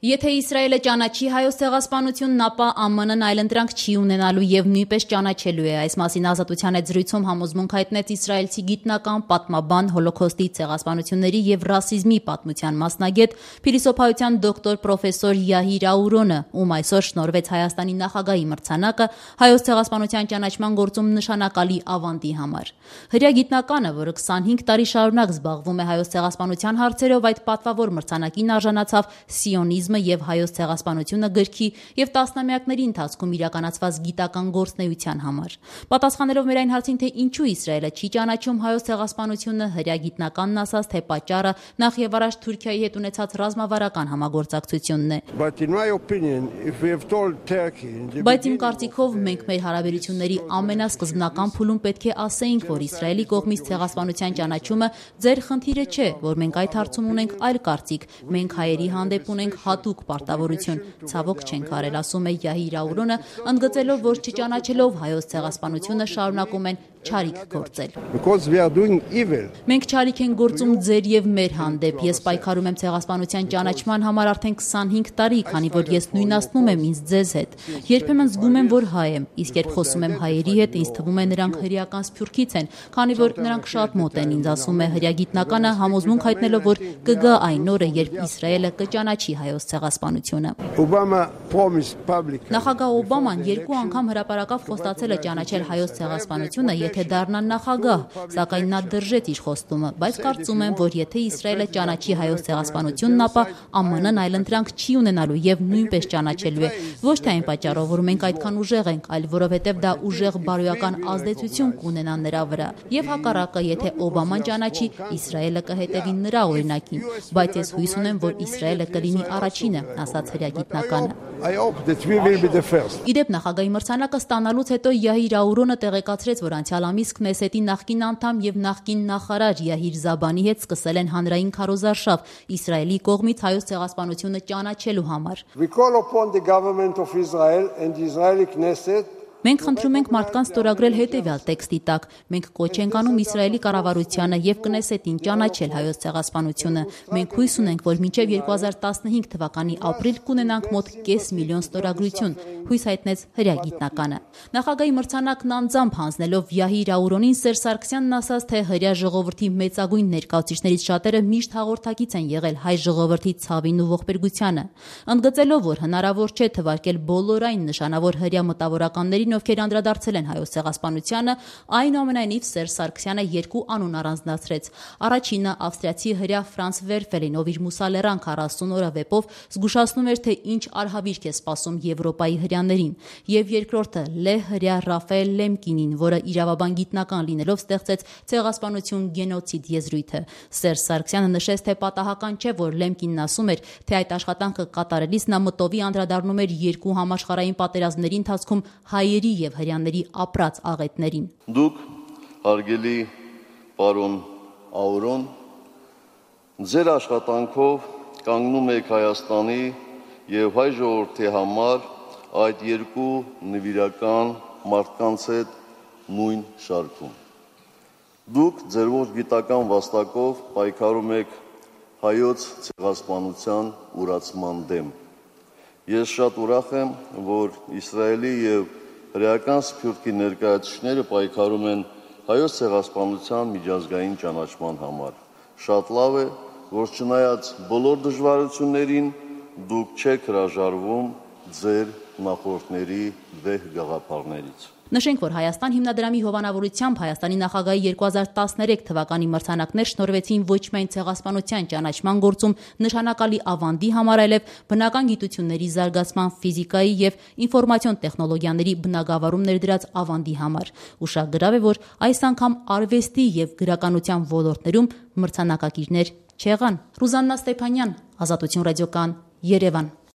Եթե Իսրայելը ճանաչի հայոց ցեղասպանությունն, ապա ԱՄՆ-ն այլընտրանք չի ունենալու եւ նույնպես ճանաչելու է։ Այս մասին Ազատության հետ զրույցում համոզմունք հայտնեց իսրայելցի գիտնական, պատմաբան, հոլոքոստի, ցեղասպանությունների եւ ռասիզմի պատմության մասնագետ, փիլիսոփայության դոկտոր պրոֆեսոր Յահիր Աուրոնը, ում այսօր շնորհվեց Հայաստանի նախագահի մրցանակը հայոց ցեղասպանության ճանաչման գործում նշանակալի ավանդի համար։ Հրեա գիտնականը, որը 25 տարի շարունակ զբաղվում է հայոց ցեղասպանության հարցերով, այդ պատվավոր մրցանակին արժանացավ «Սիոնիզմը եւ հայոց ցեղասպանությունը» գրքի եւ տասնամյակների ընթացքում իրականացված գիտական գործունեության համար։ Պատասխանելով մեր այն հարցին, թե ինչու Իսրայելը չի ճանաչում հայոց ցեղասպանությունը, հրեա գիտնականն ասաց, թե պատճառը նախ եւ առաջ Թուրքիայի հետ ունեցած ռազմավարական համագործակցությունն է։ Բայց իմ կարծիքով մենք մեր հարաբերությունների ամենասկզբնական փուլում պետք է ասեինք, որ Իսրայելի կողմից ցեղասպանության ճանաչումը ձեր խնդիրը չէ, որ մենք այդ հարցում ունենք այլ կարծիք, մենք հայերի հանդեպ ունենք հատուկ պարտավորություն, ցավոք չենք արել, ասում է Յահիր Աուրոնը, ընդգծելով, որ չճանաչելով հայոց ցեղասպանությունը շարունակում են չարիք գործել։ Մենք չարիք ենք գործում ձեր եւ մեր հանդեպ։ Ես պայքարում եմ ցեղասպանության ճանաչման համար արդեն 25 տարի, քանի որ ես նույնացնում եմ ինձ ձեզ հետ։ Երբեմն զգում եմ, որ հայ եմ, իսկ երբ խոսում եմ հայերի հետ, ինձ թվում է նրանք հրեական սփյուռքից են, քանի որ նրանք շատ մոտ են ինձ, ասում է հրեա գիտնականը, համոզմունք հայտնելով, որ կգա այն օրը, երբ Իսրայելը կճանաչի հայոց ցեղասպանությունը։ Նախագահ Օբաման 2 անգամ հրապարակավ խոստացել է ճանաչել հայոց ցեղասպանությունը, եթե դառնա նախագահ, սակայն նա դրժեց իր խոստումը, բայց կարծում եմ, որ եթե Իսրայելը ճանաչի հայոց ցեղասպանությունն, ապա ԱՄՆ-ն այլընտրանք չի ունենալու եւ նույնպես ճանաչելու է, ոչ թե այն պատճառով, որ մենք այդքան ուժեղ ենք, այլ որովհետեւ դա ուժեղ բարոյական ազդեցություն կունենա նրա վրա։ Եվ հակառակը, եթե Օբաման ճանաչի, Իսրայելը կհետևի նրա օրինակին, բայց ես հույս ունեմ, որ Իսրայելը կլինի առաջինը, ասաց հրեա գիտնականը։ Իդեպ նախագահի մրցանակը ստանալուց հետո Յահիր Աուրոնը տեղեկացրեց, որ անցյալ ամիս Քնեսետի նախկին անդամ եւ նախկին նախարար Յահիր Զաբանի հետ սկսել են հանրային քարոզարշավ Իսրայելի կողմից հայոց ցեղասպանությունը ճանաչելու համար։ Մենք խնդրում ենք մարդկանց ստորագրել հետևյալ տեքստի տակ. մենք կոչ ենք անում Իսրայելի կառավարությանը եւ Կնեսետին ճանաչել հայոց ցեղասպանությունը։ Մենք հույս ունենք, որ մինչեւ 2015 թվականի ապրիլ կունենանք մոտ 500,000 ստորագրություն, հույս հայտնեց հրեա գիտնականը։ Նախագահի մրցանակն անձամբ հանձնելով Յահիր Աուրոնին, Սերժ Սարգսյանն ասաց, թե հրեա ժողովրդի մեծագույն ներկայացուցիչներից շատերը միշտ հաղորդակից են եղել հայ ժողովրդի ցավին ու ողբերգությանը, ընդգծելով, որ հնարավոր չէ թվարկել բոլոր այն նշանավոր հրեա մտավորականներին, ովքեր անդրադարձել են հայոց ցեղասպանությանը, այնուամենայնիվ Սերժ Սարգսյանը 2 անուն առանձնացրեց։ Առաջինը ավստրիացի հրեա Ֆրանց Վերֆելին, ով իր «Մուսալերան 40 օրը» վեպով զգուշացնում էր, թե ինչ արհավիրք է սպասում Եվրոպայի հրեաներին, եւ երկրորդը լե հրեա Ռաֆայել Լեմկինին, որը իրավաբան գիտնական լինելով ստեղծեց ցեղասպանություն գենոցիդ եզրույթը։ Սերժ Սարգսյանը նշեց, թե պատահական չէ, որ Լեմկինն ասում էր, թե այդ աշխատանքը կատարելիս նա մտովի անդրադառնում էր 2 համաշխարհային պատերազմների ընթացքում հայերի եւ հրեաների ապրած աղետներին։ Դուք, հարգելի պարոն Աուրոն, ձեր աշխատանքով կանգնում եք Հայաստանի եւ հայ ժողովրդի համար այդ 2 նվիրական մարդկանց հետ նույն շարքում։ Դուք ձեր ողջ գիտական վաստակով պայքարում եք հայոց ցեղասպանության ուրացման դեմ։ Ես շատ ուրախ եմ, որ Իսրայելի եւ հրեական սփյուռքի ներկայացուցիչները պայքարում են հայոց ցեղասպանության միջազգային ճանաչման համար։ Շատ լավ է, որ չնայած բոլոր դժվարություններին դուք չեք հրաժարվում ձեր նախորդների վեհ գաղափարներից։ Նշենք, որ Հայաստան հիմնադրամի հովանավորությամբ Հայաստանի նախագահի 2013 թվականի մրցանակներ շնորհվեցին ոչ միայն ցեղասպանության ճանաչման գործում նշանակալի ավանդի համար, այլև բնական գիտությունների զարգացման, ֆիզիկայի եւ ինֆորմացիոն տեխնոլոգիաների բնագավառում ներդրած ավանդի համար։ Ուշագրավ է, որ այս անգամ արվեստի եւ գրականության ոլորտներում մրցանակակիրներ չեղան։ Ռուզաննա Ստեփանյան, Ազատություն ռադիոկան, Երևան։